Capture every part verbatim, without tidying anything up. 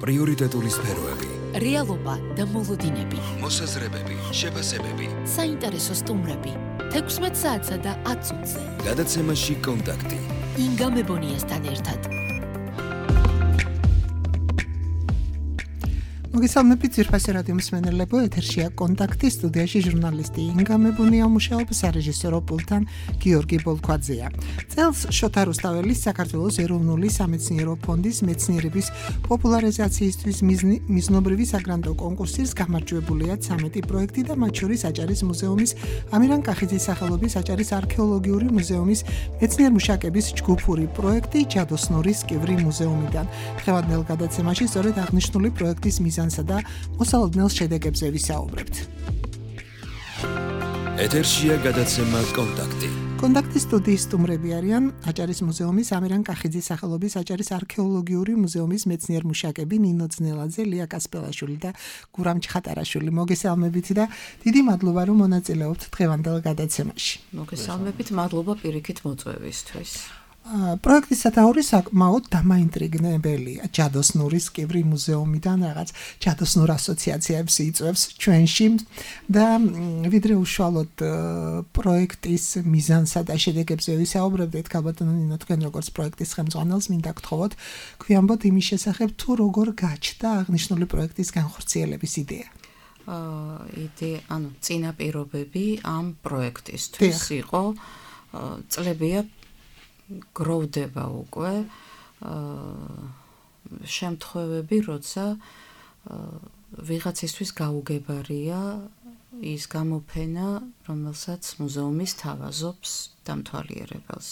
პრიორიტეტული სფეროები, რეალობა და მოლოდინები, მოსაზრებები, შეფასებები, საინტერესო სტუმრები, თექვსმეტ საათსა და ათ წუთზე. გადაცემაში კონტაქტი. ინგა მებონიასთან ერთად. მოგესალმებით ძვირფასი რადიო მსმენელებო, ეთერშია კონტაქტი, სტუდიაში ჟურნალისტი ინგა მებონია, მუშაობს სარეჟისორო პულტთან გიორგი ბოლქვაძეა. წელს შოთა რუსთაველის საქართველოს ეროვნული სამეცნიერო ფონდის მეცნიერების პოპულარიზაციისთვის მიზნობრივი საგრანტო კონკურსის გამარჯვებულია ცამეტი პროექტი და მათ შორის აჭარის მუზეუმის ამირან კახიძის სახელობის აჭარის არქეოლოგიური მუზეუმის მეცნიერ-მუშაკების ჯგუფური პროექტი ჯადოსნურის კივრი მუზეუმიდან. დღევანდელ გადაცემაში სწორედ აღნიშნული პროექტის მიზანსა და მოსალოდნელ შედეგებზე ვისაუბრებთ. ეთერშია გადაცემა კონტაქტი. კონტაქტის სტუდიის სტუმრები არიან აჭარის მუზეუმის ამირან კახიძის სახელობის აჭარის არქეოლოგიური მუზეუმის მეცნიერ-მუშაკები ნინო ძნელაძე, ლია კასპელაშვილი და გურამ ჩხატარაშვილი. მოგესალმებით და დიდი მადლობა რომ მონაწილეობთ დღევანდელ გადაცემაში. მოგესალმებით, მადლობა პირიქით მოწვევისთვის. პროექტის სათაური საკმაოდ დამაინტრიგნებელია. ჯადოსნურის კივრი მუზეუმიდან რაღაც ჯადოსნურ ასოციაციებს იწვევს ჩვენში და ვიდრე უშუალოდ პროექტის მიზანსა და შედეგებზე ვისაუბრებდით, ქალბატონო ნინო, თქვენ როგორც პროექტის ხელმძღვანელს მინდა გთხოვოთ, გვიამბოთ იმის შესახებ, თუ როგორ გაჩნდა აღნიშნული პროექტის განხორციელების იდეა. იდეა, ანუ წინაპირობები ამ პროექტისთვის იყო წლებია გროვდება უკვე შემთხვევები, როცა ვიღაცისთვის გაუგებარია ის გამოფენა, რომელსაც მუზეუმი სთავაზობს დამთვალიერებელს.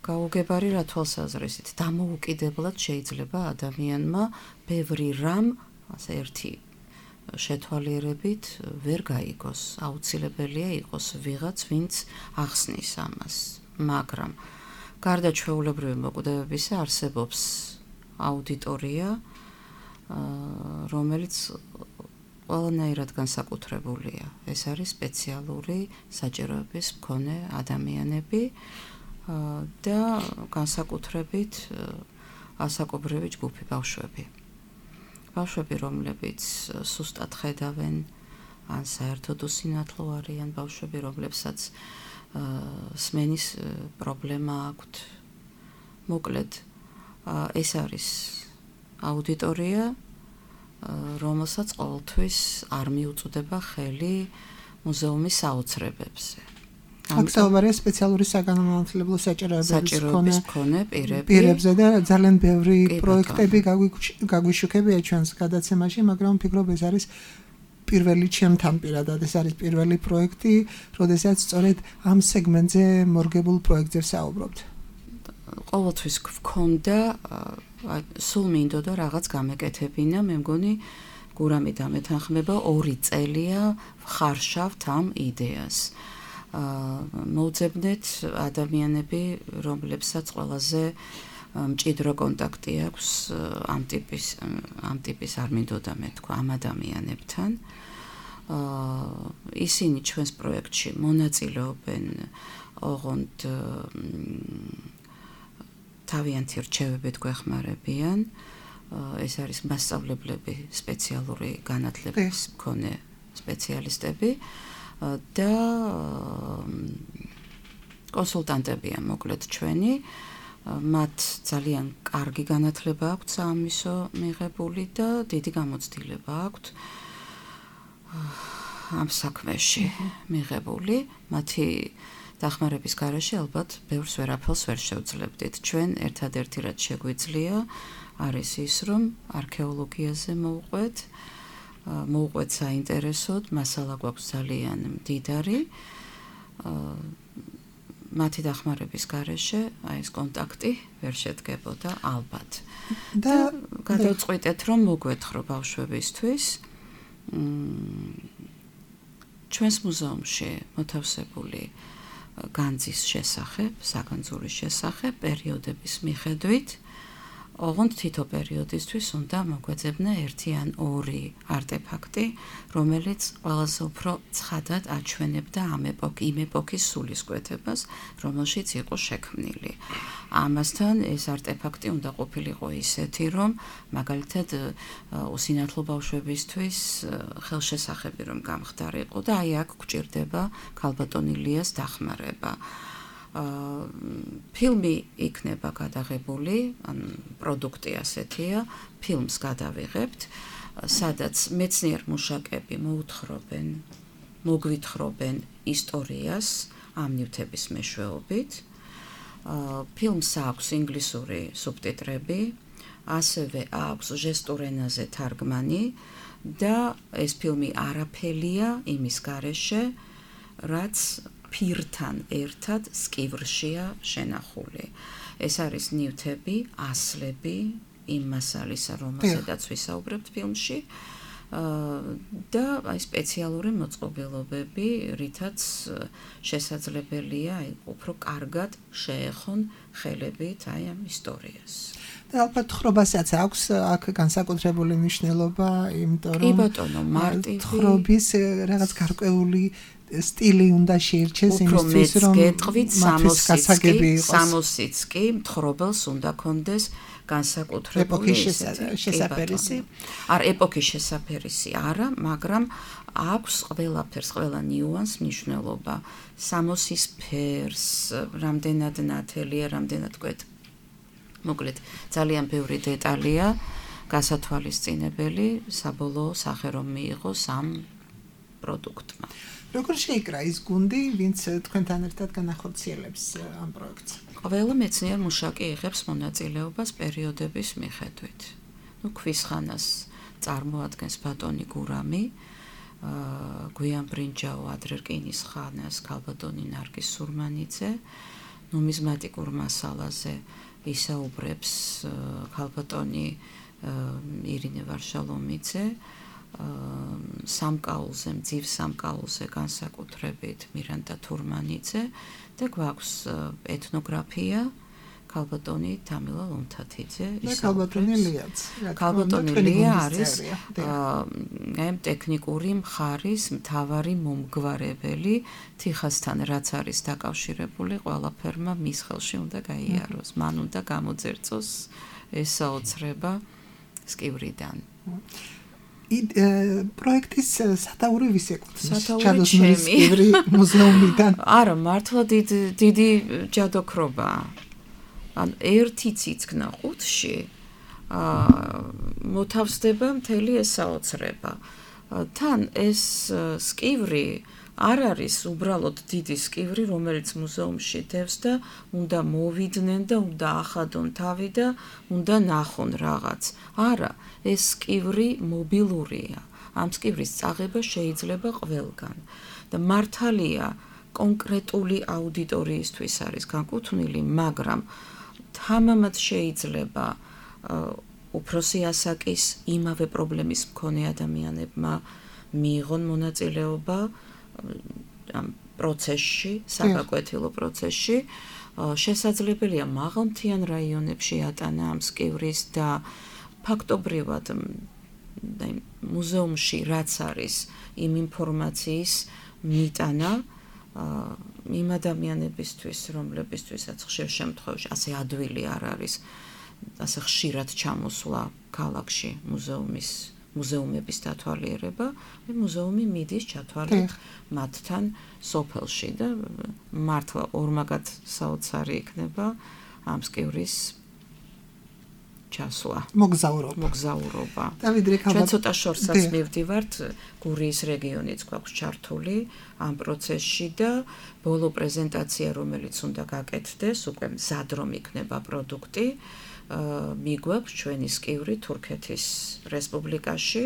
გაუგებარი რა თვალსაზრისით, დამოუკიდებლად შეიძლება ადამიანმა ბევრი რამ, ასე ერთი შეთვალიერებით ვერ გაიგოს. აუცილებელია იყოს ვიღაც, ვინც ახსნის ამას. მაგრამ გარდა ჩვეულებრივი მოკვდებებისა არსებობს აუდიტორია, რომელიც ყველანაირად განსაკუთრებულია. ეს არის სპეციალური საჭიროების მქონე ადამიანები და განსაკუთრებით ასაკობრივი ჯგუფი, ბავშვები. ბავშვები, რომლებიც სუსტად ხედავენ, ან საერთოდ უსინათლო არიან, ბავშვები, რომლებსაც სმენის პრობლემა აქვთ. მოკლედ, ეს არის აუდიტორია, რომელსაც ყოველთვის არ მიუწვდება ხელი მუზეუმის საოცრებებზე. აქცევარია სპეციალური საგანმანათლებლო საჭიროების მქონე პირებზე და ძალიან ბევრი პროექტები გაგვიშუქებია ჩვენს გადაცემაში, მაგრამ ვფიქრობ ეს არის პირველი ჩემთან პირადად, ეს არის პირველი პროექტი, როდესაც სწორედ ამ სეგმენტზე მორგებულ პროექტზე ვსაუბრობთ. ყოველთვის გვქონდა, სულ მინდოდა რაღაც გამეკეთებინა, მე მგონი გურამი დამეთანხმება, ორი წელია ვხარშავთ ამ იდეას. მოვძებნეთ ადამიანები, რომლებსაც ყველაზე მჭიდრო კონტაქტი აქვს ამ ტიპის ამ ტიპის არ მინდოდა მე თქვა ამ ადამიანებთან. ისინი ჩვენს პროექტში მონაწილეობენ, ოღონდ თავიანთი რჩევებით გვეხმარებიან. ეს არის მასწავლებლები, სპეციალური განათლების მქონე სპეციალისტები და კონსულტანტებია მოკლედ ჩვენი. მათ ძალიან კარგი განათლება აქვთ საამისო მიღებული და დიდი გამოცდილება აქვთ ამ საქმეში მიღებული. მათი დახმარების გარეშე ალბათ ბევრს ვერაფერს ვერ შევძლებდით. ჩვენ ერთადერთი რაც შეგვიძლია არის ის, რომ არქეოლოგიაზე მოვყვეთ, მოვყვეთ საინტერესოდ, მასალა გვაქვს ძალიან მდიდარი. მათი დახმარების გარეშე აი ეს კონტაქტი ვერ შედგებოდა ალბათ. და გადავწყვიტეთ, რომ მოგვეთხრო ბავშვებისთვის ჩვენს მუზეუმში მოთავსებული განძის შესახებ, საგანძურის შესახებ პერიოდების მიხედვით ოღონდ თითო პერიოდისთვის უნდა მოგვეძებნა ერთი ან ორი არტეფაქტი, რომელიც ყველაზე უფრო ცხადად აჩვენებდა ამ ეპოქის, იმ ეპოქის სულისკვეთებას, რომელშიც იყო შექმნილი. ამასთან ეს არტეფაქტი უნდა ყოფილიყო ისეთი, რომ მაგალითად უსინათლო ბავშვებისთვის ხელშესახები რომ გამხდარიყო და აი აქ გვჭირდება ქალბატონი ლიას დახმარება. ფილმი იქნება გადაღებული, ან პროდუქტი ასეთია, ფილმს გადავიღებთ, სადაც მეცნიერ მუშაკები მოუთხრობენ, მოგვითხრობენ ისტორიას ამ ნივთების მეშვეობით. ფილმს აქვს ინგლისური სუბტიტრები, ასევე აქვს ჟესტურ ენაზე თარგმანი და ეს ფილმი არაფერია იმის გარეშე, რაც ფირთან ერთად სკივრშია შენახული. ეს არის ნივთები, ასლები იმ მასალისა, რომელზედაც ვისაუბრებთ ფილმში და აი სპეციალური მოწყობილობები, რითაც შესაძლებელია აი უფრო კარგად შეეხონ ხელებით აი ამ ისტორიას. და ალბათ ხრობასაც აქვს აქ განსაკუთრებული მნიშვნელობა, იმიტომ რომ კი ბატონო, მარტივი ხრობის რაღაც გარკვეული სტილი უნდა შეირჩეს იმისთვის რომ გეტყვით სამოციც კი მთხრობელს უნდა კონდეს განსაკუთრებული შესაფერისი. არ ეპოქის შესაფერისი არა, მაგრამ აქვს ყველაფერს, ყველა ნიუანს მნიშვნელობა. სამოცის ფერს, რამდენად ნათელია, რამდენად გვეთ. მოკლედ, ძალიან ბევრი დეტალია გასათვალისწინებელი, საბოლოო სახე რომ მიიღოს ამ პროდუქტმა. როგორ შეიკრა ის გუნდი, ვინც თქვენთან ერთად განახორციელებს ამ პროექტს? ყველა მეცნიერ მუშაკი იღებს მონაწილეობას პერიოდების მიხედვით. ნუ ქვისხანას წარმოადგენს ბატონი გურამი, გვიან ბრინჯაო ადრე რკინის ხანას ქალბატონი ნარგიზ სურმანიძე, ნუმიზმატიკურ მასალაზე ისაუბრებს ქალბატონი ირინე ვარშალომიძე, სამკაულზე, მძივ სამკაულზე განსაკუთრებით მირანდა თურმანიძე და გვაქვს ეთნოგრაფია ქალბატონი თამილა ლომთათიძე ისაუბრებს. ქალბატონი ლიაც. ქალბატონი ლია არის აი ტექნიკური მხარის მთავარი მომგვარებელი თიხასთან, რაც არის დაკავშირებული ყველაფერმა მის ხელში უნდა გაიაროს, მან უნდა გამოძერწოს ეს საოცრება სკივრიდან. პროექტის სათაური ვის ეკუთვნის? ჩადოსმერის სკივრი მუზეუმიდან. არა, მართლა დიდი ჯადოქრობაა. ან ერთი ციცქნა ყუთში მოთავსდება მთელი ეს საოცრება. თან ეს სკივრი არ არის უბრალოდ დიდი სკივრი, რომელიც მუზეუმში დევს და უნდა მოვიდნენ და უნდა ახადონ თავი და უნდა ნახონ რაღაც. არა, ეს სკივრი მობილურია. ამ სკივრის წაღება შეიძლება ყველგან. და მართალია კონკრეტული აუდიტორიისთვის არის განკუთვნილი, მაგრამ თამამად შეიძლება უფროსი ასაკის იმავე პრობლემის მქონე ადამიანებმა მიიღონ მონაწილეობა ამ პროცესში, საფაკვეთილო პროცესში. შესაძლებელია მაღალმთიან რაიონებში ატანა ამ სკივრის და ფაქტობრივად მუზეუმში რაც არის იმ ინფორმაციის მიტანა იმ ადამიანებისთვის, რომლებისთვისაც ხშირ შემთხვევაში ასე ადვილი არ არის, ასე ხშირად ჩამოსვლა ქალაქში მუზეუმის მუზეუმების დათვალიერება, მუზეუმი მიდის ჩათვალეთ მათთან სოფელში და მართლა ორმაგად საოცარი იქნება ამ სკივრის ჩასვლა. მოგზაურობა. მოგზაურობა. დავიდრე ქალბატონი. ჩვენ ცოტა შორსაც მივდივართ, გურიის რეგიონიც გვაქვს ჩართული ამ პროცესში და ბოლო პრეზენტაცია, რომელიც უნდა გაკეთდეს, უკვე მზად რომ იქნება პროდუქტი, მიგვაქვს ჩვენი სკივრი თურქეთის რესპუბლიკაში.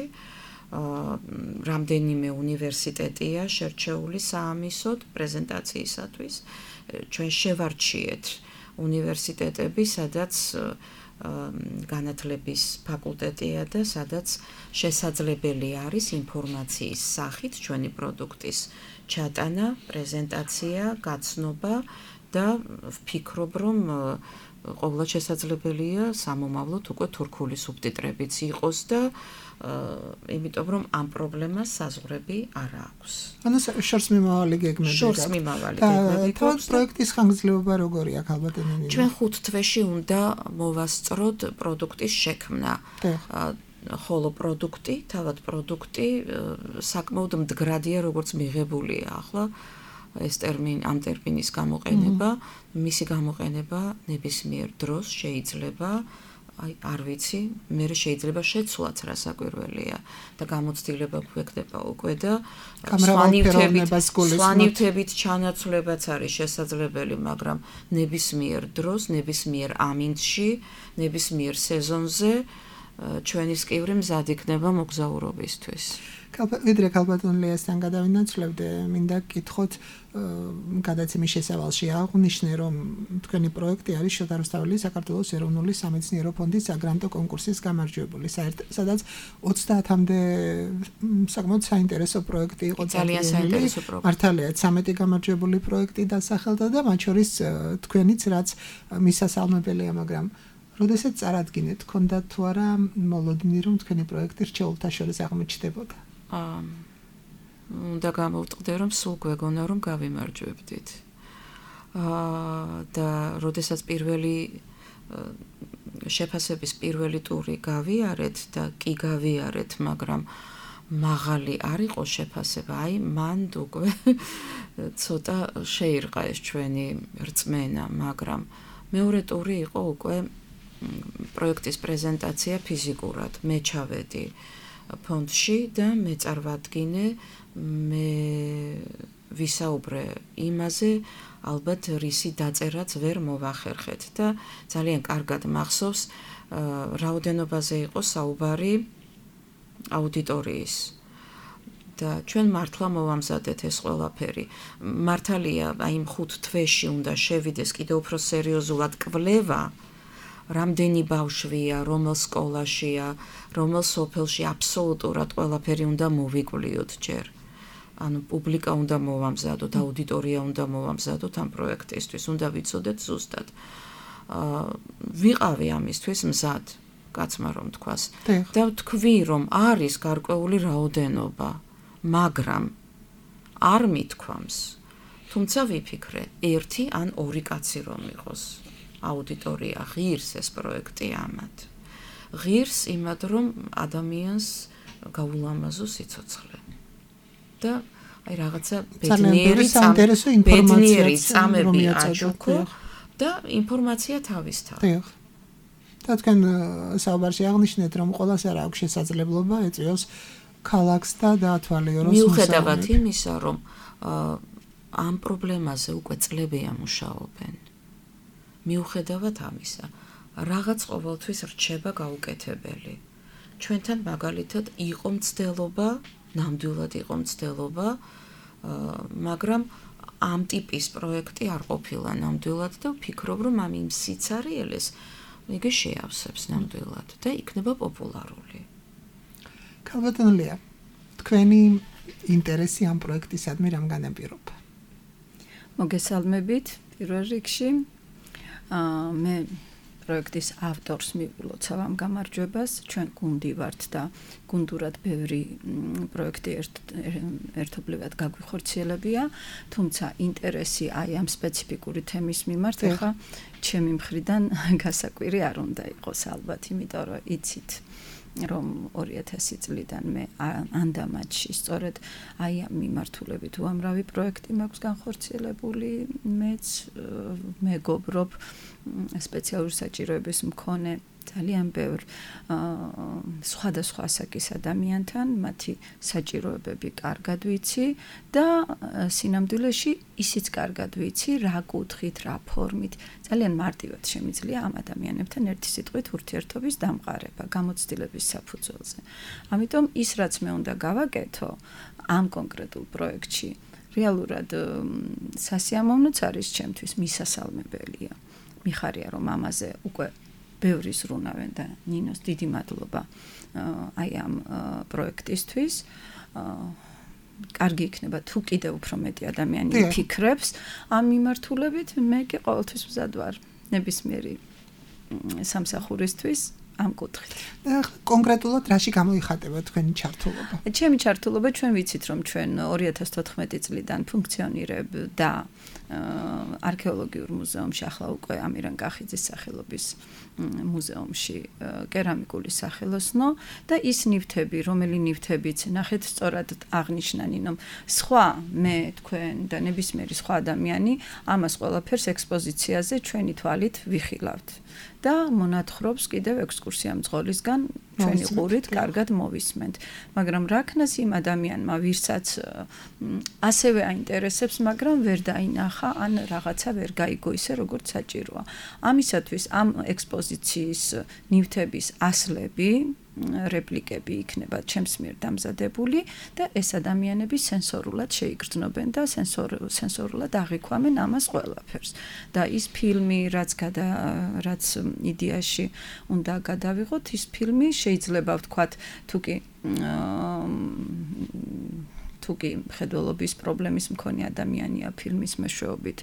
რამდენიმე უნივერსიტეტია შერჩეული საამისოდ პრეზენტაციისათვის. ჩვენ შევარჩიეთ უნივერსიტეტები, სადაც განათლების ფაკულტეტია და სადაც შესაძლებელი არის ინფორმაციის სახით ჩვენი პროდუქტის ჩატანა, პრეზენტაცია, გაცნობა და ვფიქრობ, რომ ყოველად შესაძლებელია სამომავლოდ უკვე თურქული სუბტიტრებიც იყოს და იმიტომ რომ ამ პრობლემას საზღვრები არ აქვს. ანუ შორს მიმავალი გეგმები შორს მიმავალი გეგმები გვაქვს. პროექტის ხანგრძლივობა როგორია ალბათ ნინი? ჩვენ ხუთ თვეში უნდა მოვასწროთ პროდუქტის შექმნა. ხოლო პროდუქტი, თავად პროდუქტი საკმაოდ მდგრადია როგორც მიღებულია ახლა ეს ტერმინი ამ ტერმინის გამოყენება, მისი გამოყენება ნებისმიერ დროს შეიძლება აი არ ვიცი, მე შეიძლება შეცვლაც რა საკვირველია და გამოცდილება გვექნება უკვე და სვანივთებით ჩანაცვლებაც არის შესაძლებელი, მაგრამ ნებისმიერ დროს, ნებისმიერ ამინდში, ნებისმიერ სეზონზე ჩვენი სკივრი მზად იქნება მოგზაურობისთვის. ვიდრე ქალბატონ ლიასთან გადავინაცვლებდე, მინდა გკითხოთ გადაცემის შესავალში აღვნიშნე, რომ თქვენი პროექტი არის შოთა რუსთაველის საქართველოს ეროვნული სამეცნიერო ფონდის საგრანტო კონკურსის გამარჯვებული, სადაც ოცდაათამდე საკმაოდ საინტერესო პროექტი იყო ძალიან საინტერესო პროექტი. მართალია, ცამეტი გამარჯვებული პროექტი დასახელდა და მათ შორის თქვენიც რაც მისასალმებელია, მაგრამ როდესაც წარადგინეთ, გქონდათ თუ არა მოლოდინი, რომ თქვენი პროექტი რჩეულთა შორის აღმოჩნდებოდა? აა უნდა გამოვტყდე, რომ სულ გვეგონა, რომ გავიმარჯვებდით. აა და როდესაც პირველი შეფასების პირველი ტური გავიარეთ და კი გავიარეთ, მაგრამ მაღალი არ იყო შეფასება, აი მან უკვე ცოტა შეირყა ეს ჩვენი რწმენა, მაგრამ მეორე ტური იყო უკვე პროექტის პრეზენტაცია ფიზიკურად. მე ჩავედი ფონდში და მე წარვადგინე, მე ვისაუბრე იმაზე, ალბათ რისი დაწერაც ვერ მოვახერხეთ და ძალიან კარგად მახსოვს, რაოდენობაზე იყო საუბარი აუდიტორიის. და ჩვენ მართლა მოვამზადეთ ეს ყველაფერი. მართალია, აი იმ ხუთ თვეში უნდა შევიდეს კიდევ უფრო სერიოზულად კვლევა, რამდენი ბავშვია, რომელ სკოლაშია, რომელ სოფელში აბსოლუტურად ყველაფერი უნდა მოვიკვლიოთ ჯერ. ანუ პუბლიკა უნდა მოვამზადოთ, აუდიტორია უნდა მოვამზადოთ ამ პროექტისთვის, უნდა ვიცოდეთ ზუსტად. აა ვიყავი ამისთვის მზად, კაცმა რომ თქვას. და თქვი რომ არის გარკვეული რაოდენობა, მაგრამ არ მithქვამს. თუმცა ვიფიქრე, ერთი ან ორი კაცი რომ იყოს. აუდიტორია ღირს ეს პროექტი ამათ. ღირს იმად რომ ადამიანს გაულამაზო სიცოცხლე. და აი რაღაცა ბედნიერი ბედნიერი წამები აჩუქო და ინფორმაცია თავისთავად. და თქვენ საუბარში აღნიშნეთ რომ ყველას არ აქვს შესაძლებლობა ეწვიოს ქალაქს და დაათვალიეროს მიუხედავად იმისა რომ ამ პრობლემაზე უკვე წლებია მუშაობენ. მიუხედავად ამისა, რაღაც ყოველთვის რჩება გაუკეთებელი. ჩვენთან მაგალითად იყო მცდელობა, ნამდვილად იყო მცდელობა, მაგრამ ამ ტიპის პროექტი არ ყოფილა ნამდვილად და ვფიქრობ, რომ ამ იმ სიცარიელეს იგი შეავსებს ნამდვილად და იქნება პოპულარული. ქალბატონ ლია, თქვენი ინტერესი ამ პროექტისადმი რამ განაპირობა? მოგესალმებით პირველ რიგში. მე პროექტის ავტორს მივულოცავ ამ გამარჯვებას, ჩვენ გუნდი ვართ და გუნდურად ბევრი პროექტი ერთობლივად გაგვიხორციელებია, თუმცა ინტერესი აი ამ სპეციფიკური თემის მიმართ ახლა ჩემი მხრიდან გასაკვირი არ უნდა იყოს ალბათ, იმიტომ რომ იცით რომ ორი ათასი წლიდან მე ანდამაჯში სწორედ აი ამ მიმართულებით უამრავი პროექტი მაქვს განხორციელებული, მეც მეგობრობ სპეციალური საჭიროების მქონე ძალიან ბევრ სხვადასხვა ასაკის ადამიანთან, მათი საჭიროებები კარგად ვიცი და სინამდვილეში ისიც კარგად ვიცი, რა კუთხით, რა ფორმით, ძალიან მარტივად შემიძლია ამ ადამიანებთან ერთი სიტყვით ურთიერთობის დამყარება, გამოცდილების საფუძველზე. ამიტომ ის რაც მე უნდა გავაკეთო ამ კონკრეტულ პროექტში, რეალურად სასიამოვნოც არის ჩემთვის, მისასალმებელია. მიხარია რომ ამაზე უკვე ბევრი ზრუნავენ და ნინოს დიდი მადლობა აი ამ პროექტისთვის. კარგი იქნება თუ კიდევ უფრო მეტი ადამიანი იფიქრებს ამ მიმართულებით, მე კი ყოველთვის მზად ვარ ნებისმიერი სამსახურისთვის ამ კუთხით. კონკრეტულად რაში გამოიხატება თქვენი ჩართულობა? ჩემი ჩართულობა ჩვენ ვიცით რომ ჩვენ ორი ათას თოთხმეტი წლიდან ფუნქციონირებ და არქეოლოგიურ მუზეუმში ახლა უკვე ამირან კახიძის სახელობის მუზეუმში კერამიკული სახელოსნო და ის ნივთები, რომელი ნივთებიც ნახეთ სწორად აღნიშნა ნინომ, სხვა მე თქვენ და ნებისმიერი სხვა ადამიანი ამას ყველაფერს ექსპოზიციაზე ჩვენი თვალით ვიხილავთ და მონათხრობს კიდევ ექსკურსია მძღოლისგან ჩვენი ყურით კარგად მოვისმენთ. მაგრამ რაქნას იმ ადამიანმა ვირსაც ასევე აინტერესებს, მაგრამ ვერ დაინახა ან რაღაცა ვერ გაიგო ისე როგორც საჭიროა. ამისათვის ამ ექსპოზიციის ნივთების ასლები რეპლიკები იქნება ჩემს მიერ დამზადებული და ეს ადამიანები სენსორულად შეიგრძნობენ და სენსორ სენსორულად აღიქვამენ ამას ყველაფერს. და ის ფილმი, რაც გადა რაც იდეაში უნდა გადავიღოთ, ის ფილმი შეიძლება ვთქვათ, თუ კი თუკი მხედველობის პრობლემის მქონე ადამიანია ფილმის მეშვეობით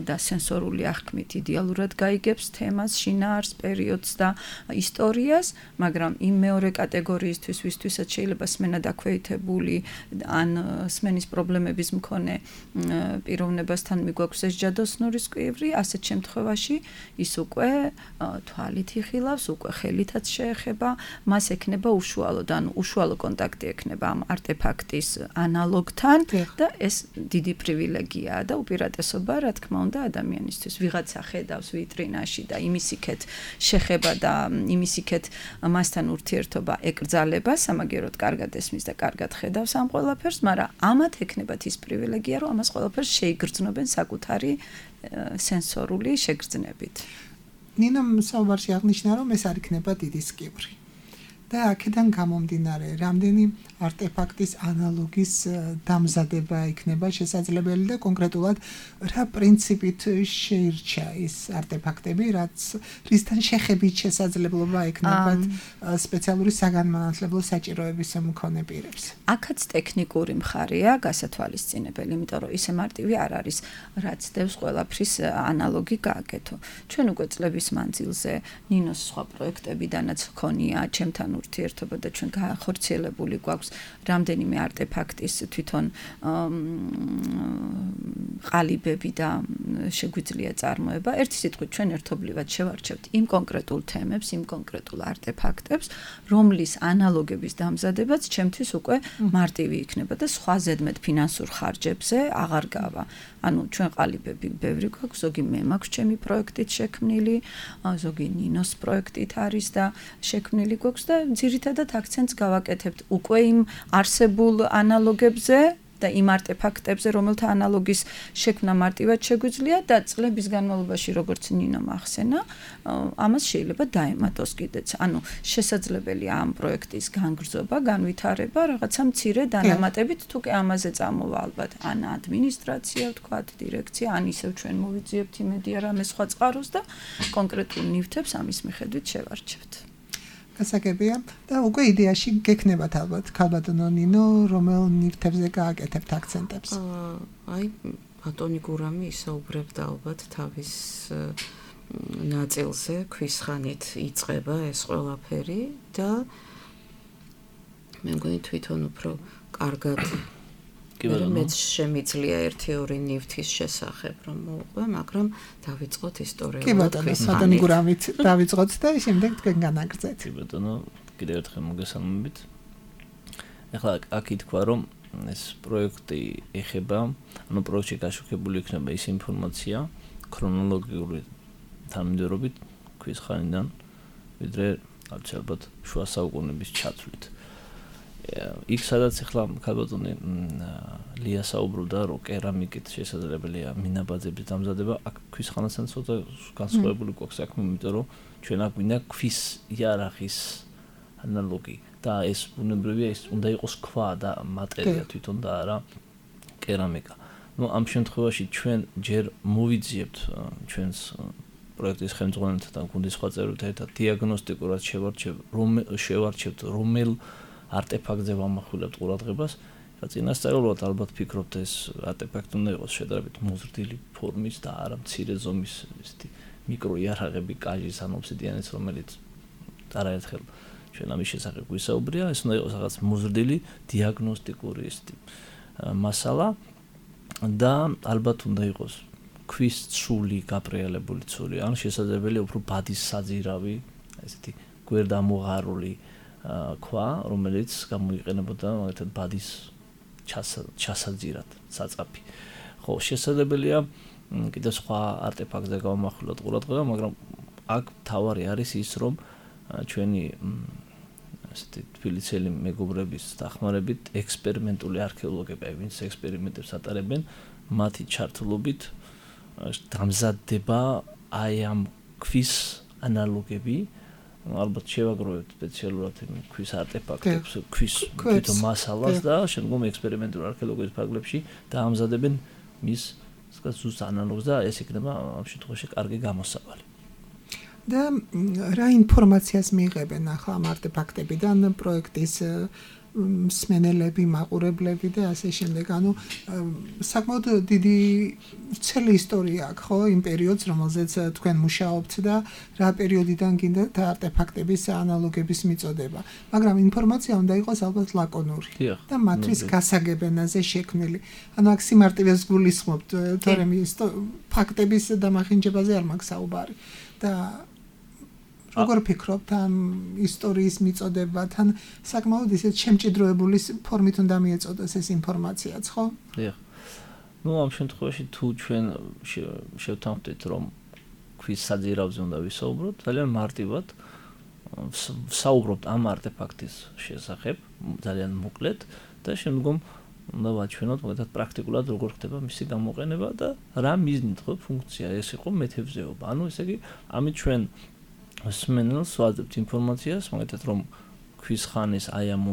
და სენსორული აღქმით იდეალურად გაიგებს თემას, შინაარს, პერიოდს და ისტორიას, მაგრამ იმ მეორე კატეგორიისთვის, ვისთვისაც შეიძლება სმენა დაქვეითებული ან სმენის პრობლემების მქონე პიროვნებასთან მიგვაქვს ეს ჯადოსნურის კვივრი, ასეთ შემთხვევაში ის უკვე თვალით იხილავს, უკვე ხელითაც შეეხება, მას ექნება უშუალოდ, ანუ უშუალო კონტაქტი ექნება ამ არტეფაქტის ანალოგთან და ეს დიდი პრივილეგიაა და უპირატესობა, რა თქმა უნდა, ადამიანისთვის. ვიღაცა ხედავს ვიტრინაში და იმისიქეთ შეხება და იმისიქეთ მასთან ურთიერთობა ეკრძალება, სამაგეროდ კარგად ესმის და კარგად ხედავს ამ ყველაფერს, მაგრამ ამათ ექნებათ ის პრივილეგია, რომ ამას ყველაფერს შეიგრძნობენ საკუთარი სენსორული შეგრძნებით. ნინომ საუბარში აღნიშნა, რომ ეს არ იქნება დიდი სკივრი. და აქედან გამომდინარე, რამდენი არტეფაქტის ანალოგის დამზადება იქნება შესაძლებელი და კონკრეტულად რა პრინციპით შეირჩა ის არტეფაქტები, რაც რისთან შეხებით შესაძლებლობა ექნებათ სპეციალური საგანმანათლებლო საჭიროების მქონე პირებს. აქაც ტექნიკური მხარეა გასათვალისწინებელი, იმიტომ რომ ისე მარტივი არ არის, რაც დევს ყველაფრის ანალოგი გააკეთო. ჩვენ უკვე წლების მანძილზე ნინოს სხვა პროექტებიდანაც ჰქონია ჩემთან ურთიერთობა და ჩვენ განხორციელებული გვაქვს რამდენიმე არტეფაქტის თვითონ ყალიბები და შეგვიძლია წარმოება. ერთი სიტყვით ჩვენ ერთობლივად შევარჩევთ იმ კონკრეტულ თემებს, იმ კონკრეტულ არტეფაქტებს, რომლის ანალოგების დამზადებაც ჩემთვის უკვე მარტივი იქნება და სხვა ზედმეტ ფინანსურ ხარჯებზე აღარ გავა. ანუ ჩვენ ყალიბები ბევრი გვაქვს, ზოგი მე მაქვს ჩემი პროექტით შექმნილი, ზოგი ნინოს პროექტით არის და შექმნილი გვაქვს და ძირითადად აქცენტს გავაკეთებთ უკვე იმ არსებულ ანალოგებზე და იმ არტეფაქტებზე, რომელთა ანალოგის შექმნა მარტივად შეგვიძლია და წლების განმავლობაში, როგორც ნინომ ახსენა, ამას შეიძლება დაემატოს კიდეც. ანუ შესაძლებელია ამ პროექტის განგრძობა, განვითარება, რაღაცა მცირე დანამატებით, თუ კი ამაზე წამოვა ალბათ ან ადმინისტრაცია, ვთქვათ, დირექცია, ან ისევ ჩვენ მოვიძიებთ იმედი რამე სხვა წყაროს და კონკრეტულ ნივთებს ამის მიხედვით შევარჩევთ. გასაგებია და უკვე იდეაში გექნებათ ალბათ ქალბატონო ნინო, რომელ ნივთებზე გააკეთებთ აქცენტებს? აი, ბატონი გურამი ისაუბრებდა ალბათ თავის ნაწილზე, ქვის ხანით იწყება ეს ყველაფერი და მე მგონი თვითონ უფრო კარგად მეც შემიძლია ერთი ორი ნივთის შესახებ რომ მოვყვე, მაგრამ დავიწყოთ ისტორიულად. კი ბატონო, ბატონი გურამით დავიწყოთ და შემდეგ თქვენ განაგრძეთ. კი ბატონო, კიდევ ერთხელ მოგესალმებით. ახლა აქ ითქვა რომ ეს პროექტი ეხება, ანუ პროექტში გაშუქებული იქნება ის ინფორმაცია ქრონოლოგიური თანმიმდევრობით ქვის ხანიდან, ვიდრე ალბათ შუა საუკუნეების ჩათვლით. იქ სადაც ახლა ქალბატონი ლია საუბრობდა, რომ კერამიკით შესაძლებელია მინაბაძების დამზადება, აქ ქვის ხანასთან ცოტა განსხვავებული გვაქვს საქმე, იმიტომ რომ ჩვენ აქ გვინდა ქვის იარაღის ანალოგი და ეს ბუნებრივია, ეს უნდა იყოს ქვა და მატერია თვითონ და არა კერამიკა. ნუ ამ შემთხვევაში ჩვენ ჯერ მოვიძიებთ ჩვენს პროექტის ხელმძღვანელთან, გუნდის სხვა წევრებთან ერთად დიაგნოსტიკურად შევარჩევთ რომელ არტეფაქტზე ვამახვილებთ ყურადღებას. წინასწარმეტყველად ალბათ ფიქრობთ ეს არტეფაქტი უნდა იყოს შედარებით მოზრდილი ფორმის და არა მცირე ზომის ისეთი მიკროიარაღები, კაჟის ან ობსიდიანის, რომელიც არაერთხელ ჩვენ ამის შესახებ გვისაუბრია, ეს უნდა იყოს რაღაც მოზრდილი დიაგნოსტიკური ისეთი მასალა და ალბათ უნდა იყოს ქვის ცული, გაპრიალებული ცული, ან შესაძლებელია უფრო ბადის საძირავი, ესეთი გვერდამოღარული ქვა, რომელიც გამოიყენებოდა მაგალითად ბადის ჩასაძირად, საწაფი. ხო, შესაძლებელია კიდევ სხვა არტეფაქტზე გავამახვილოთ ყურადღება, მაგრამ აქ თავარი არის ის, რომ ჩვენი ასეთი თბილისელი მეგობრების დახმარებით ექსპერიმენტული არქეოლოგები, ვინც ექსპერიმენტებს ატარებენ, მათი ჩართულობით დამზადდება აი ამ ქვის ანალოგები, ალბათ შევაგროვებთ სპეციალურად ქვის არტეფაქტებს, ქვის თვითონ მასალას და შემდგომ ექსპერიმენტული არქეოლოგიის ფარგლებში დაამზადებენ მის ზუსტ ანალოგს და ეს იქნება ამ შემთხვევაში კარგი გამოსავალი. და რა ინფორმაციას მიიღებენ ახლა ამ არტეფაქტებიდან პროექტის მსმენელები, მაყურებლები და ასე შემდეგ. ანუ საკმაოდ დიდი ცელი ისტორია აქვს, ხო, იმ პერიოდს, რომელზეც თქვენ მუშაობთ და რა პერიოდიდან გინდათ არტეფაქტების ანალოგების მიწოდება. მაგრამ ინფორმაცია უნდა იყოს ალბათ ლაკონური და მათთვის გასაგებენაზე შექმნილი. ანუ აქ სიმარტივეს გულისხმობთ, თორემ ფაქტების დამახინჯებაზე არ მაქვს საუბარი. და როგორ ფიქრობთ ამ ისტორიის მიწოდებათან საკმაოდ ისეთ შემჭიდროებული ფორმით უნდა მიეწოდოს ეს ინფორმაციაც, ხო? დიახ. ნუ ამ შემთხვევაში თუ ჩვენ შევთანხმდით, რომ ქვის საძირავზე უნდა ვისაუბროთ, ძალიან მარტივად ვსაუბრობთ ამ არტეფაქტის შესახებ, ძალიან მოკლედ და შემდგომ უნდა ვაჩვენოთ მაგალითად პრაქტიკულად როგორ ხდება მისი გამოყენება და რა მიზნით ხო ფუნქცია ეს იყო მეთევზეობა. ანუ ესე იგი ამით ჩვენ მსმენელს ვაძლევთ ინფორმაციას, მაგალითად რომ ქვის ხანის აი ამ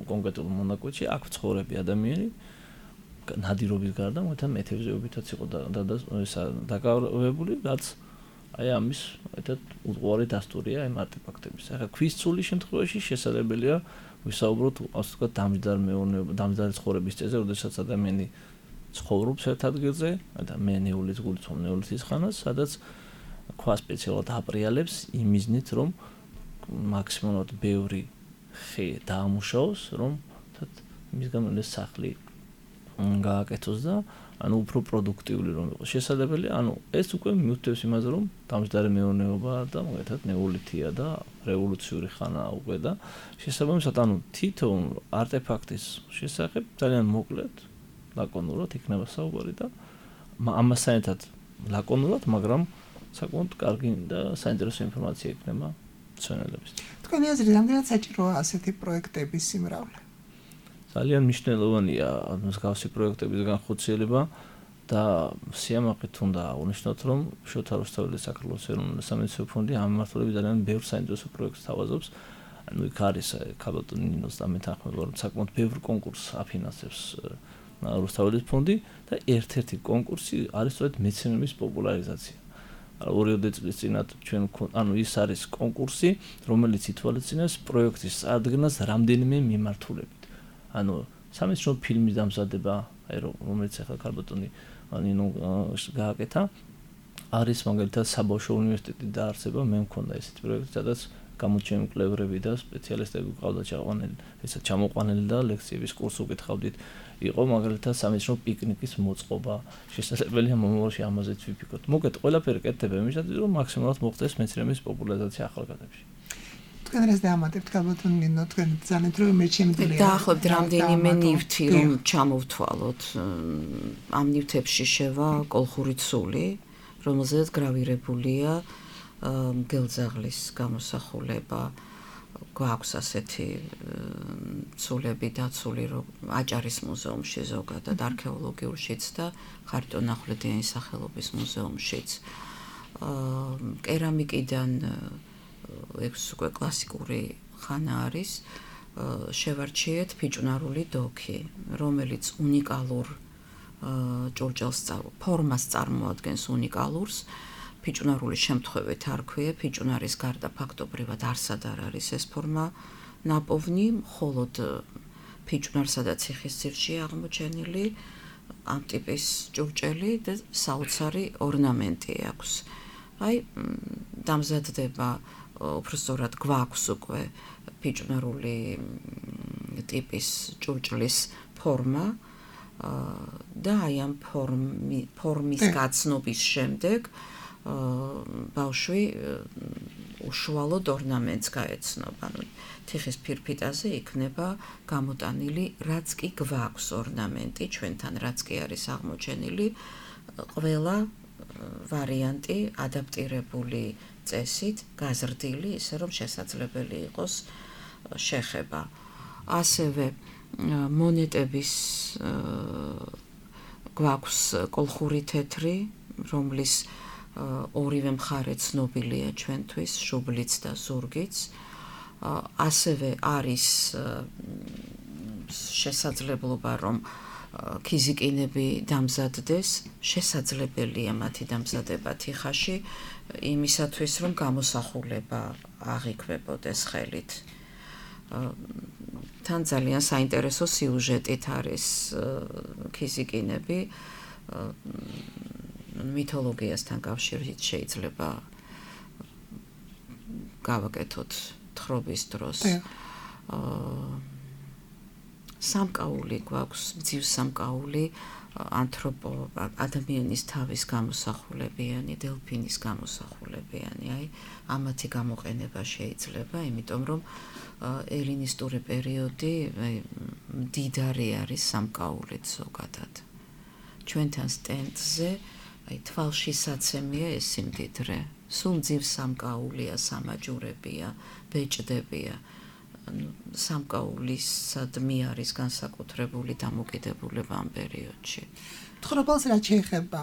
კონკრეტულ მონაკვეთში აქ ცხოვრები ადამიანი ნადირობის გარდა მაგალითად მეთევზეობითაც იყო და ესა დაკავებული, რაც აი ამის მაგალითად უყუარი დასტურია ამ არტეფაქტების. ახლა ქვის ცულის შემთხვევაში შესაძლებელია ვისაუბროთ ასე ვთქვათ დამჯდარ მეურნეობა, დამჯდარი ცხოვრების წესზე, როდესაც ადამიანი ცხოვრობს ერთ ადგილზე, და მე ნეულის გულწრფელ ნეულისის ხანას, სადაც ქვა სპეციალურად აპრიალებს იმ მიზნით, რომ მაქსიმალურად ბევრი ხე დაამუშავოს, რომ მის გამო ეს სახლი გააკეთოს და ანუ უფრო პროდუქტიული რომ იყოს. შესაძლებელია, ანუ ეს უკვე მიუთითებს იმაზე, რომ დამჯდარი მეურნეობა და მაგალითად ნეოლითია და რევოლუციური ხანაა უკვე და შესაბამისად, ანუ თითოეულ არტეფაქტის შესახებ ძალიან მოკლედ, ლაკონურად იქნება საუბარი და ამასთანავე ლაკონურად, მაგრამ საკმაოდ კარგი და საინტერესო ინფორმაცია იქნება მცენელებს. თქვენი აზრით, რამდენად საჭიროა ასეთი პროექტების სიმრავლე? ძალიან მნიშვნელოვანია მსგავსი პროექტების განხორციელება და სიამაყით უნდა აღნიშნოთ, რომ შოთა რუსთაველის საქართველოს ეროვნული სამედიცინო ფონდი ამ მიმართულებით ძალიან ბევრ საინტერესო პროექტს თავაზობს. ანუ იქ არის ქალბატონ ნინოს და მეთანხმება, რომ საკმაოდ ბევრ კონკურსს აფინანსებს რუსთაველის ფონდი და ერთ-ერთი კონკურსი არის სწორედ მეცნიერების პოპულარიზაცია. ორი წლის წინათ ჩვენ ანუ ის არის კონკურსი, რომელიც ითვალისწინებს პროექტის წარდგენას რამდენიმე მიმართულებით. ანუ სამეცნიერო ფილმის დამზადება, აი რომელიც ახლა ქალბატონი ნინო გააკეთა, არის მაგალითად საბავშვო უნივერსიტეტი დაარსება, მე მქონდა ესეთი პროექტი, სადაც გამოჩენილი მკვლევრები და სპეციალისტები ყავდა ჩაყვანილი, ესა ჩამოყვანილი და ლექციების კურსს უკითხავდით. იყო მაგალითად სამეცნიერო პიკნიკის მოწყობა, შესაძლებელია მომავალში ამაზეც ვიფიქროთ. მოგეთ ყველაფერი კეთდება იმისათვის, რომ მაქსიმალურად მოხდეს მეცნიერების პოპულარიზაცია ახალგაზრდებში. თქვენ რას დაამატებთ ქალბატონ ნინო, თქვენ ძალიან რომ მე შემიძლია დაახლოებით რამდენიმე ნივთი რომ ჩამოვთვალოთ. ამ ნივთებში შევა კოლხური ცული, რომელზეც გრავირებულია მგელძაღლის გამოსახულება. გვაქვს ასეთი ცულები დაცული რომ აჭარის მუზეუმში ზოგადად არქეოლოგიურშიც და ხარიტონ ახვლედიანის სახელობის მუზეუმშიც. კერამიკიდან ეს უკვე კლასიკური ხანა არის. შევარჩიეთ ფიჭვნარული დოქი, რომელიც უნიკალურ ჭურჭელს ფორმას წარმოადგენს უნიკალურს. ფიჭვნარული შემთხვევით არ ქვია, ფიჭვნარის გარდა ფაქტობრივად არსად არ არის ეს ფორმა ნაპოვნი, მხოლოდ ფიჭვნარსა და ციხისძირში აღმოჩენილი ამ ტიპის ჭურჭელი და საოცარი ორნამენტი აქვს. აი დამზადდება უბრალოდ გვაქვს უკვე ფიჭვნარული ტიპის ჭურჭლის ფორმა და აი ამ ფორმის გაცნობის შემდეგ ბავშვი უშუალოდ ორნამენტს გაეცნობა. ანუ თიხის ფირფიტაზე იქნება გამოტანილი რაც კი გვაქვს ორნამენტი, ჩვენთან რაც კი არის აღმოჩენილი, ყველა ვარიანტი ადაპტირებული წესით, გაზრდილი, ისე რომ შესაძლებელი იყოს შეხება. ასევე მონეტების გვაქვს კოლხური თეთრი, რომლის ორივე მხარე ცნობილია ჩვენთვის, შუბლიც და ზურგიც. ასევე არის შესაძლებლობა, რომ ქიზიკინები დამზადდეს, შესაძლებელია მათი დამზადება თიხაში, იმისათვის, რომ გამოსახულება აღიქვებოდეს ხელით. თან ძალიან საინტერესო სიუჟეტით არის ქიზიკინები, მითოლოგიასთან კავშირით შეიძლება გავაკეთოთ თხრობის დროს. სამკაული გვაქვს, მძივ სამკაული, ანთროპო ადამიანის თავის გამოსახულებიანი, დელფინის გამოსახულებიანი, აი ამათი გამოყენება შეიძლება, იმიტომ რომ ელინისტური პერიოდი მდიდარი არის სამკაულით ზოგადად. ჩვენთან სტენდზე აი თვალშისაცემია ეს სიმდიდრე. სულ მძივ სამკაულია, სამაჯურებია, ბეჭდებია. სამკაულისადმი არის განსაკუთრებული დამოკიდებულება ამ პერიოდში. თხრობელს რაც შეეხება,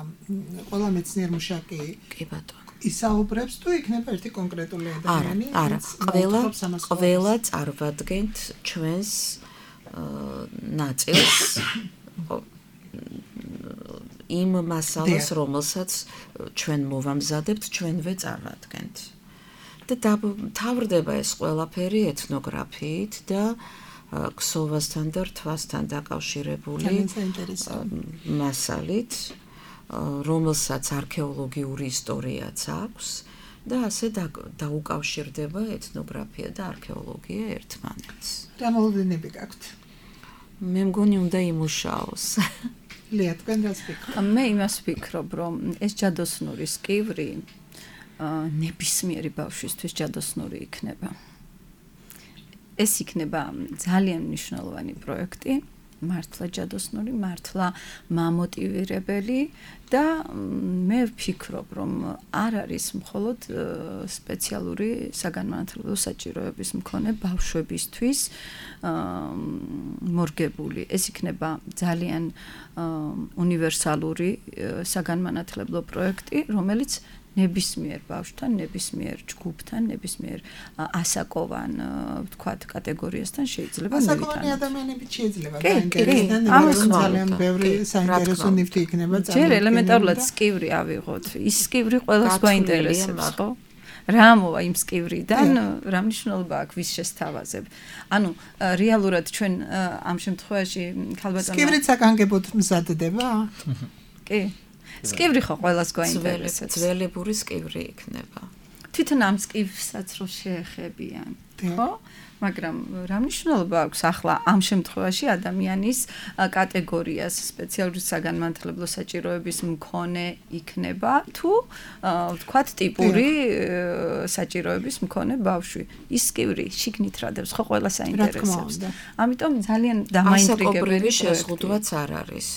ყველა მეცნიერ მუშაკი კი ბატონო ისაუბრებს თუ იქნება ერთი კონკრეტული ადამიანი? არა, ყველა ყველა წარვადგენთ ჩვენს ნაწილს იმ მასალას, რომელსაც ჩვენ მოვამზადებთ, ჩვენვე წარვადგენთ. და თავრდება ეს ყველაფერი ეთნოგრაფიით და ქსოვასთან და რთვასთან დაკავშირებული მასალით, რომელსაც არქეოლოგიური ისტორიაც აქვს და ასე დაუკავშირდება ეთნოგრაფია და არქეოლოგია ერთმანეთს. რა მოლოდინები გაქვთ? მე მგონი უნდა იმუშაოს. ლია, თქვენ რას ფიქრობთ? მე იმას ვფიქრობ, რომ ეს ჯადოსნურის კივრი ნებისმიერი ბავშვისთვის ჯადოსნური იქნება. ეს იქნება ძალიან მნიშვნელოვანი პროექტი, მართლა ჯადოსნური, მართლა მამოტივირებელი და მე ვფიქრობ, რომ არ არის მხოლოდ სპეციალური საგანმანათლებლო საჭიროების მქონე ბავშვებისთვის მორგებული. ეს იქნება ძალიან უნივერსალური საგანმანათლებლო პროექტი, რომელიც ნებისმიერ ბავშვთან, ნებისმიერ ჯგუფთან, ნებისმიერ ასაკოვან, ვთქვათ, კატეგორიასთან შეიძლება მივიტანოთ. ასაკოვანი ადამიანებით შეიძლება დაინტერესდნენ, მაგრამ ძალიან ბევრი საინტერესო ნივთი იქნება წარმოქმნილი. ჯერ ელემენტარულად სკივრი ავიღოთ. ის სკივრი ყველას გვაინტერესებს, ხო? რა მოვა იმ სკივრიდან, რა მნიშვნელობა აქვს ვის შესთავაზებ. ანუ რეალურად ჩვენ ამ შემთხვევაში ქალბატონო სკივრით საგანგებოდ მზადდება? კი. სკივრი ხო ყველას გვაინტერესებს. ძველებური სკივრი იქნება. თვითონ ამ სკივრსაც რო შეეხებიან, ხო? მაგრამ რა მნიშვნელობა აქვს ახლა ამ შემთხვევაში ადამიანის კატეგორიას სპეციალური საგანმანათლებლო საჭიროების მქონე იქნება თუ ვთქვათ ტიპური საჭიროების მქონე ბავშვი. ის სკივრი შიგნით რადებს ხო ყველას აინტერესებს. ამიტომ ძალიან დამაინტრიგებელი შეზღუდვაც არ არის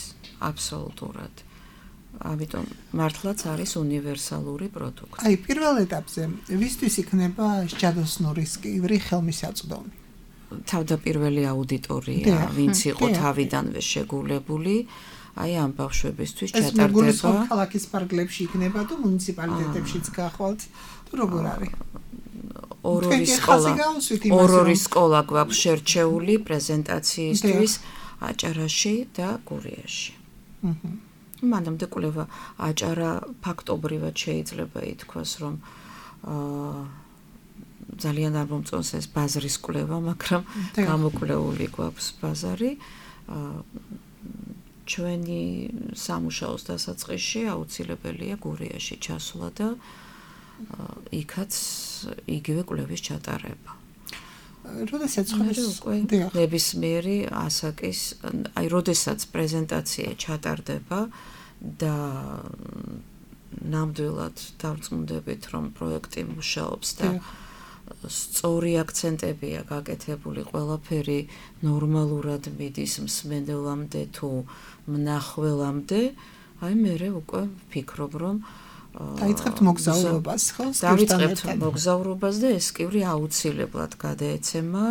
აბსოლუტურად. ამიტომ მართლაც არის უნივერსალური პროდუქტი. აი, პირველ ეტაპზე ვისთვის იქნება ჯადოსნური სკივრი ხელმისაწვდომი? თავდაპირველი აუდიტორია, ვინც იყო თავიდანვე შეგულებული, აი ამ ბავშვებისთვის ჩატარდება. ეს მეგულისხმობ ქალაქის პარკლებში იქნება თუ მუნიციპალიტეტებშიც გახვალთ, თუ როგორ არის? ორ-ორი სკოლა, ორ-ორი სკოლა გვაქვს შერჩეული პრეზენტაციისთვის აჭარაში და გურიაში. აჰა. მანამდე კვლევა აჭარა ფაქტობრივად შეიძლება ითქვას, რომ აა ძალიან არ მომწონს ეს ბაზრის კვლევა, მაგრამ გამოკვლეული გვაქვს ბაზარი. აა ჩვენი სამუშაოს დასაწყისში აუცილებელია გურიაში ჩასვლა და იქაც იგივე კვლევის ჩატარება. როდესაც ხმის ნებისმიერი ასაკის, აი, როდესაც პრეზენტაცია ჩატარდება და ნამდვილად დავწმუნდებით, რომ პროექტი მუშაობს და სწორი აქცენტებია გაკეთებული, ყველაფერი ნორმალურად მიდის მსმენელამდე თუ მნახველამდე, აი მე უკვე ვფიქრობ, რომ დაიწყებთ მოგზაურობას, ხო? დაიწყებთ მოგზაურობას და ეს კივრი აუცილებლად გადაეცემა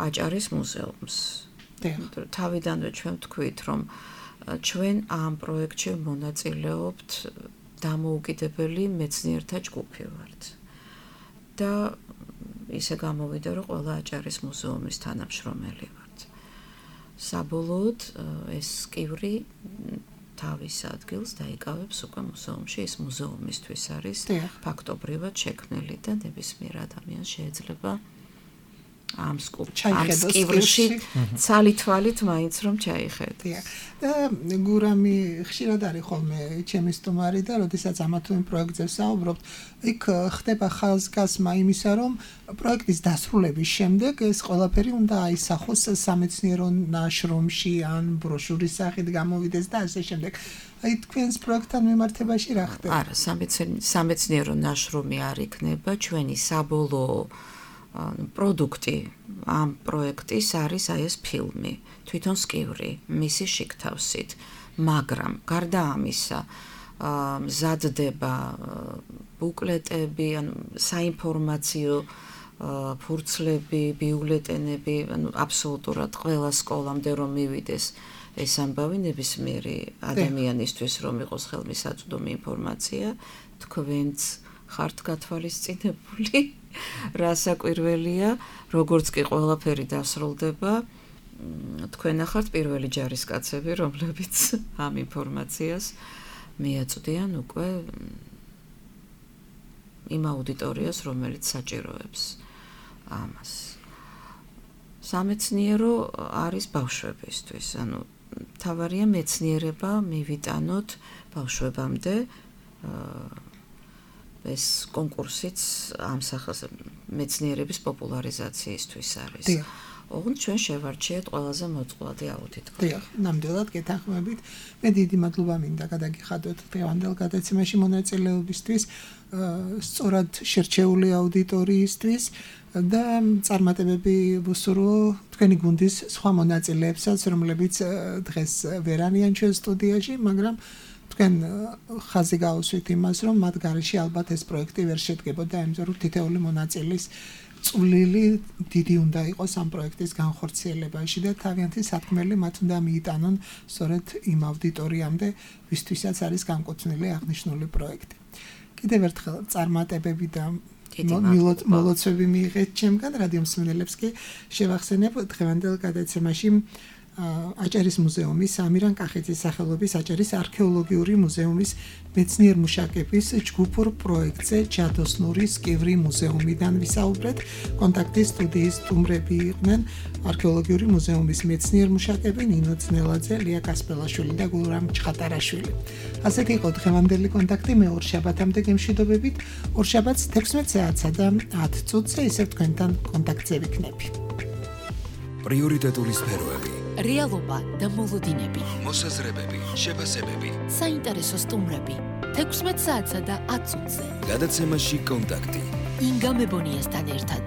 აჭარის მუზეუმს. თავიდანვე ჩვენ ვთქვით, რომ ჩვენ ამ პროექტში მონაწილეობთ დამოუკიდებელი მეცნიერთა ჯგუფი ვართ. და ისე გამოვიდა, რომ ყველა აჭარის მუზეუმის თანამშრომელი ვართ. საბოლოოდ ეს კივრი თავის ადგილს დაიკავებს უკვე მუზეუმში, ეს მუზეუმისთვის არის ფაქტობრივად შექმნილი და ნებისმიერ ადამიანს შეიძლება ამ კივრში ცალითვალით მაინც რომ ჩაიხედოს. და გურამი ხშირად არის ხოლმე ჩემი სტუმარი და როდესაც ამა თუ იმ პროექტზე ვსაუბრობთ, იქ ხდება ხაზგასმა იმისა, რომ პროექტის დასრულების შემდეგ ეს ყველაფერი უნდა აისახოს სამეცნიერო ნაშრომში ან ბროშურის სახით გამოვიდეს და ასე შემდეგ. აი თქვენს პროექტთან მიმართებაში რა ხდება? არა, სამეცნიერო ნაშრომი არ იქნება, ჩვენი საბოლოო პროდუქტი ამ პროექტის არის აი ეს ფილმი, თვითონ სკივრი, მისი შიგთავსით, მაგრამ გარდა ამისა, მზადდება ბუკლეტები, ანუ საინფორმაციო ფურცლები, ბიულეტენები, ანუ აბსოლუტურად ყველა სკოლამდე რომ მივიდეს ეს ამბავი ნებისმიერი ადამიანისთვის რომ იყოს ხელმისაწვდომი ინფორმაცია, თქვენც ხართ გათვალისწინებული რასაკვირველია, როგორც კი ყველაფერი დასრულდება, თქვენ ახართ პირველი ჯარისკაცები, რომლებიც ამ ინფორმაციას მიაწვდიან უკვე იმ აუდიტორიას, რომელიც საჭიროებს ამას. სამეცნიერო არის ბავშვებისთვის, ანუ თავარია მეცნიერება მივიტანოთ ბავშვებამდე, ეს კონკურსიც ამ სახის მეცნიერების პოპულარიზაციისთვის არის. ოღონდ ჩვენ შევარჩიეთ ყველაზე მოწყვლადი აუდიტორია. დიახ, ნამდვილად გეთანხმებით. მე დიდი მადლობა მინდა გადაგიხადოთ დღევანდელ გადაცემაში მონაწილეობისთვის, სწორად შერჩეული აუდიტორიისთვის და წარმატებები ვუსურვო თქვენი გუნდის სხვა მონაწილეებსაც, რომლებიც დღეს ვერ არიან ჩვენ სტუდიაში, მაგრამ თქვენ ხაზი გაუსვით იმას, რომ მათ გარეშე ალბათ ეს პროექტი ვერ შედგებოდა, იმიტომ რომ თითოეული მონაწილის წვლილი დიდი უნდა იყოს ამ პროექტის განხორციელებაში და თავიანთი სათქმელი მათ უნდა მიიტანონ სწორედ იმ აუდიტორიამდე, ვისთვისაც არის განკუთვნილი აღნიშნული პროექტი. კიდევ ერთხელ წარმატებები და მოლოცვები მიიღეთ ჩემგან, რადიო მსმენელებს კი შევახსენებ დღევანდელ გადაცემაში აჭარის მუზეუმის ამირან კახეძის სახელობის აჭარის არქეოლოგიური მუზეუმის მეცნიერ მუშაკების ჯგუფურ პროექტზე ჯადოსნურის კივრი მუზეუმიდან ვისაუბრეთ. კონტაქტის სტუდიის სტუმრები იყვნენ არქეოლოგიური მუზეუმის მეცნიერ მუშაკები ნინო ძნელაძე, ლია კასპელაშვილი და გულრამ ჩხატარაშვილი. ასეთი იყო დღევანდელი კონტაქტი, მე ორ შაბათამდე გემშვიდობებით. ორ შაბათს თექვსმეტ საათსა და ათ წუთზე ისევ თქვენთან კონტაქტზე ვიქნები. პრიორიტეტული სფეროები, რეალობა და მოლოდინები, მოსაზრებები, შეფასებები, საინტერესო სტუმრები, თექვსმეტ საათსა და ათ წუთზე. გადაცემაში კონტაქტი. ინგა მებონიასთან ერთად.